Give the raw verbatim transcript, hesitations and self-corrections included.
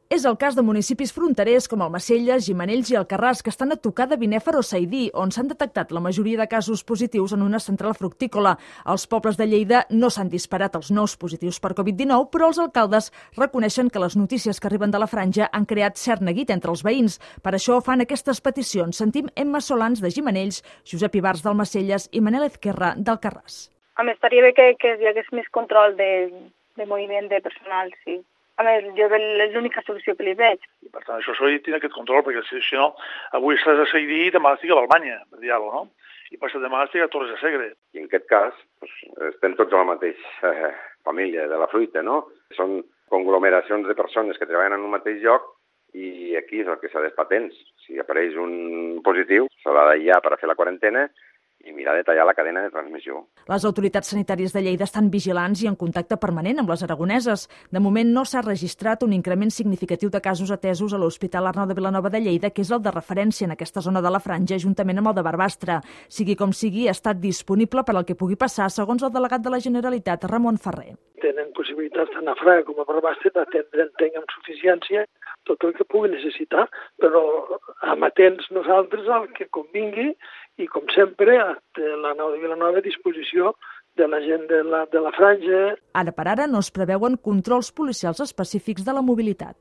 És el cas de municipis fronterers com Almacelles, Gimenells i Alcarràs, que estan a tocar de Binèfar o Saidí, on s'han detectat la majoria de casos positius en una central fructícola. Als pobles de Lleida no s'han disparat els nous positius per covid dinou, però els alcaldes reconeixen que les notícies que arriben de la franja han creat cert neguit entre els veïns. Per això fan aquestes peticions. Sentim Emma Solans, de Gimenells, Josep Ibars, d'Almacelles i Manel Ezquerra, d'Alcarràs. A més, estaria bé que, que hi hagués més control de, de moviment de personal, sí. A més, jo és l'única solució que li veig. I per tant, això s'ha de tenir aquest control, perquè si, si no, avui estàs a Saidí i demà estic a Balmanya, per dir-ho, no? I passat demà estic a Torres de Segre. I en aquest cas, doncs, estem tots a la mateixa eh, família de la fruita, no? Són conglomeracions de persones que treballen en un mateix lloc i aquí és el que s'ha d'estar atents. Si apareix un positiu, s'ha d'aïllar per a fer la quarantena i mirar de tallar la cadena de transmissió. Les autoritats sanitàries de Lleida estan vigilants i en contacte permanent amb les aragoneses. De moment no s'ha registrat un increment significatiu de casos atesos a l'Hospital Arnau de Vilanova de Lleida, que és el de referència en aquesta zona de la franja, juntament amb el de Barbastre. Sigui com sigui, ha estat disponible per al que pugui passar, segons el delegat de la Generalitat, Ramon Ferrer. Tenen possibilitats tant a Fraga com a Barbastre d'atendre, entenc, amb suficiència tot el que pugui necessitar, però amatents nosaltres al que convingui i, com sempre, l'Arnau de Vilanova a disposició de la gent de la, de la franja. Ara per ara no es preveuen controls policials específics de la mobilitat.